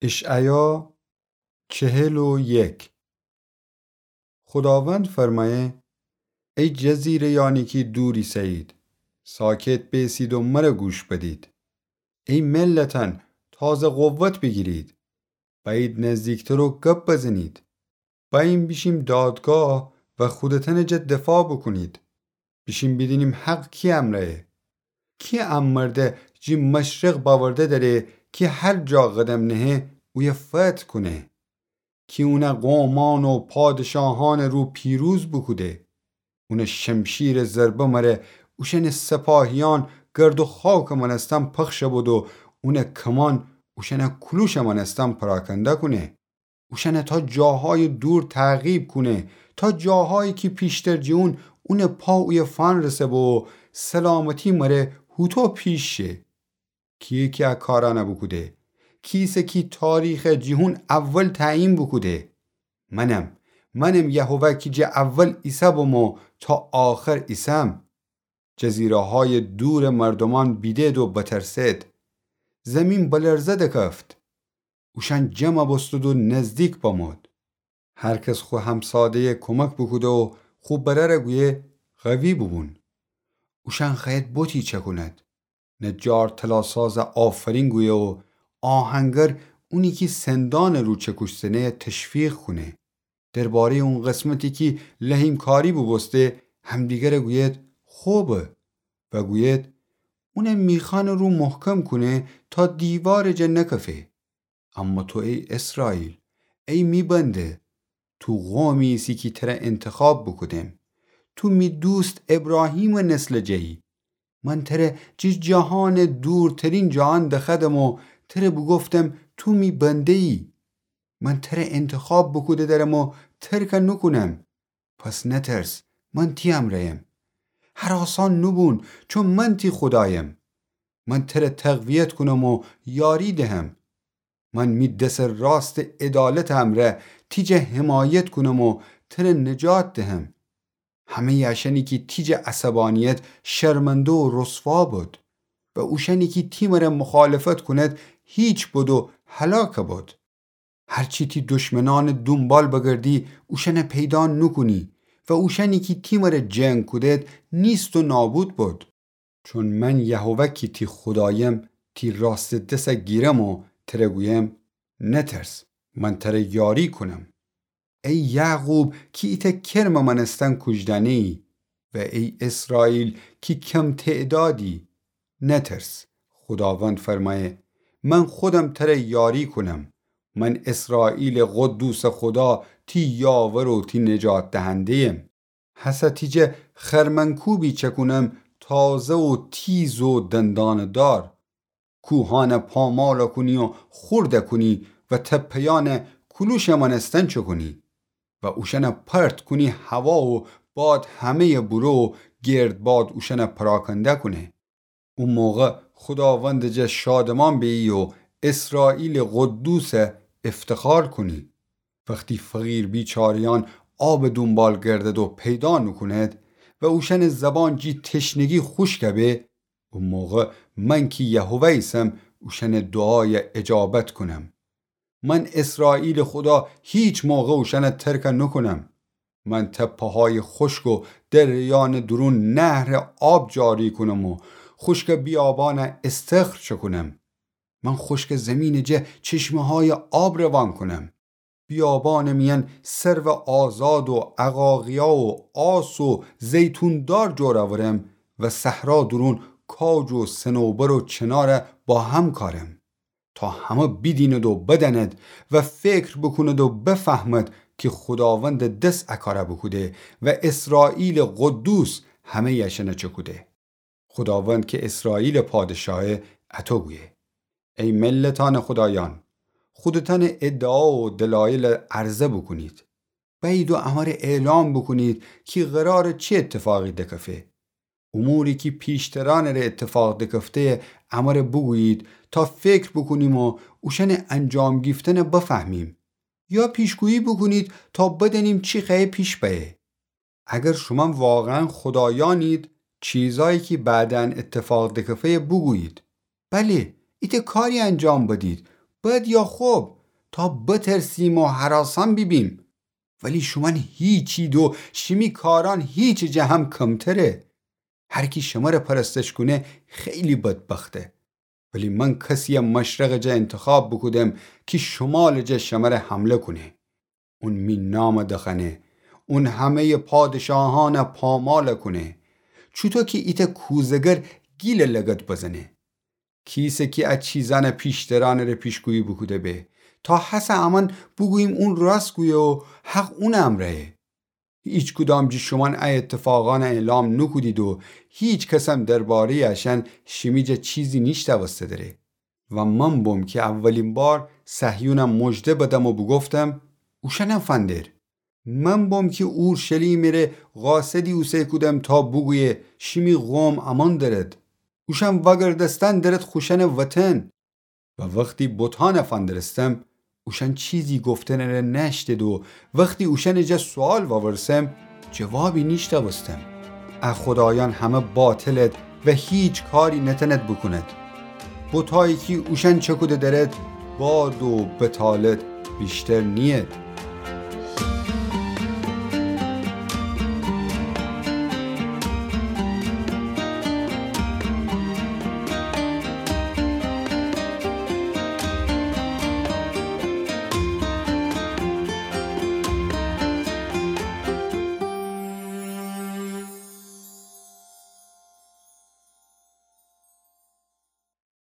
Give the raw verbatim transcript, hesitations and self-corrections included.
اشعیا چهل و یک. خوداوند فرمایه: ای جزیره‌یانی کی دور ایسه‌یید، ساکت بیسید و مره گوش بدید. ای ملتان، تازه قوت بیگیرید. بأیید نزدیکتر و گپ بزنید. بأییم بیشیم دادگاه و خودتأنٚ جا دفاع بوکونید. بیشیم بیدینیم حق کی امرأیه. کی ا مرده جی مشرق بأورده دأره کی هر جا قدم نهه اویه فتح کونه. کی اونٚ قومأن و پادشاهأنٚ رو پیروز بوکوده. اونٚ شمشیرٚ ضربه مره اوشأنٚ سپاهیأن گرد و خاکٚ مأنستن پخش بد و اونٚ کمان اوشأنٚ کولوشٚ مأنستن پراکنده کونه. اوشأنه تا جاهای دور تعقیب کونه، تا جاهایی کی پیشتر جی اون اونٚ پا اویه فأنرسه بو و سلامتی مره هوطو پیش شه. کیه کی ا کارأنه بوکوده؟ کیسه کی تاریخه جی هون اول تعیین بوکوده؟ منم، منم یهوه کی جه اول ایسه بوم و تا آخر ایسم. جزیره‌های دورٚ مردومأن بیدد و بترسد. زیمین بلرزه دکفت. اوشأن جمع بوستد و نزدیک بمود. هر کس خو همساده‌یه کمک بوکوده و خو برأره گویه: قوی بوبون. اوشأن خوأید بتی چکوند. نجار طلاسازه آفرین گویه و آهنگر اونی کی سندأنٚ رو چکوش زنه‌یه تشویق کونه. درباره‌یٚ اون قسمتی کی لحیم‌کاری بوبوسته، همدیگره گوید: خوبه. و گوید: اونٚ میخأنٚ رو محکم کونه تا دیوارٚ جا نکفه. اما تو ای اسرائیل، ای می بنده، تو قومی ایسی کی تره انتخاب بوکودم. تو می دوست ابراهیمٚ نسلٚ جه‌یی. من تره جی جهانٚ دورترین جهان دخوأدم و تره بوگفتم تو می بنده‌یی. من تره انتخاب بوکوده درم و ترکه نوکونم. پس نترس، من تی امرأیم. هراسان نوبون، چون من تی خودایم. من تره تقویت کونم و یاری دهم. من می دسٚ راستٚ عدالتٚ امرأ تی جا حمایت کونم و تره نجات دهم. همه‌یٚ اشأنی کی تی جا عصبانیت شرمنده و رسوا بد و اوشأنی کی تی مره مخالفت کونید هیچ بد و هلاک بد. هرچی تی دشمنأنٚ دونبال بگردی اوشأنه پیدا نوکونی و اوشأنی کی تی مره جنگ کودید نیست و نابود بد. چون من یهوه کی تی خودایم تی راستٚ دسه گیرم و تره گویم: نترس، من تره یاری کونم. ای یعقوب کی ایتأ کرمٚ مأنستن کوجدأنه‌یی و ای اسرائیل کی کم تعدادی، نترس. خوداوند فرمأیه: من خودم تره یاری کونم. من اسرائیلٚ قدوسٚ خودا تی یاور و تی نجات دهنده‌یم. هسه تی جا خرمنکوبی چکونم تازه و تیز و دندانه‌دار. کوهأنه پاماله کونی و خورده کونی و تپه‌یأنه کولوشٚ مأنستن چکونی و اوشأنه پرت کونی هوا و باد همه‌یٚ بوره و گردباد اوشأنه پراکنده کونه. او موقع خوداوندٚ جا شادمان به‌یی و اسرائیلٚ قدوسه افتخار کونی. وختی فقیر بیچاره‌یأن آبٚ دونبال گردد و پیدا نوکوند و اوشأنٚ زبان جی تشنگی خوشک به، او موقع من کی یهوه ایسم اوشأنٚ دوعایه اجابت کونم. من اسرائیلٚ خودا هیچ موقع اوشأنه ترکه نوکونم. من تپه‌هایٚ خوشک و دره‌یأنٚ دورون نهرٚ آب جاری کونم و خوشکٚ بیابانه استخر چکونم. من خوشکٚ زیمینٚ جا چشمه‌هایٚ آب روان کونم. بیابانٚ میأن سرو آزاد و عقاقیا و آس و زیتوندار جور اورم و صحرا دورون کاج و صنوبر و چناره با هم کارم. تا همه بیدیند و بدأند و فکر بوکوند و بفهمد کی خوداوندٚ دس ا کاره بوکوده و اسرائیلٚ قدوس همه‌یٚ اشأنه چکوده. خوداوند کی اسرائیلٚ پادشاهه اطو گویه: ای ملتأنٚ خودایأن، خودتأنٚ ادعا و دلایل عرضه بوکونید. بأیید و امره اعلام بوکونید کی قراره چی اتفاقی دکفه. اموری کی پیشترأنٚ ره اتفاق دکفته‌یه امره بوگویید تا فکر بوکونیم و اوشأنٚ انجام گیفتنه بفهمیم. یا پیشگویی بوکونید تا بدأنیم چی خوأیه پیش بأیه. اگر شومأن واقعاً خودایأنید، چیزایی کی بعداً اتفاق دکفه‌یه بوگویید. بله، ایتأ کاری انجام بدید. بد یا خب، تا بترسیم و هراسان بیبیم. ولی شومأن هیچید و شیمی کارأن هیچٚ جه هم کمتره. هر کی شمره پرستش کونه، خیلی بدبخته. ولی من کسیی مشرقٚ جا انتخاب بوکودم کی شمالٚ جا شمره حمله کونه. اون می نام دخوأنه. اون همه‌یٚ پادشاهأن پامال کونه. چوطو کی ایتأ کوزه‌گر گیلٚ لگد بزنه. کیسه کی ا چیزأن پیشترأنٚ ره پیشگویی بوکوده به، تا هسه امأن بوگوییم اون راست گویه و حق اونٚ امرأیه. هیچکدام جٚه شومأن ا ایتفاقأن اعلام نوکودید و هیچ کسم درباره‌یٚ اشأن شیمی جا چیزی نیشتأوسته دره. و من بوم کی اولین بار صهیونم مژده بدم و بوگفتم: اوشأنم فندر. من بوم کی اورشلیمٚ ره قاصدی اوسه کودم تا بوگویه: شیمی قوم امان درد. اوشأن وأگردستن درد خوشأنٚ وطن. و وختی بتأن فندرستم، اوشأن چیزی گفتنٚ ره نأشتد و وختی اوشأنٚ جا سوئال وأورسم، جوابی نیشتأوستم. ا خودایأن همه باطلد و هیچ کاری نتأند بوکوند. بتایی کی اوشأن چکوده درد، باد و بتالد ویشتر نیید.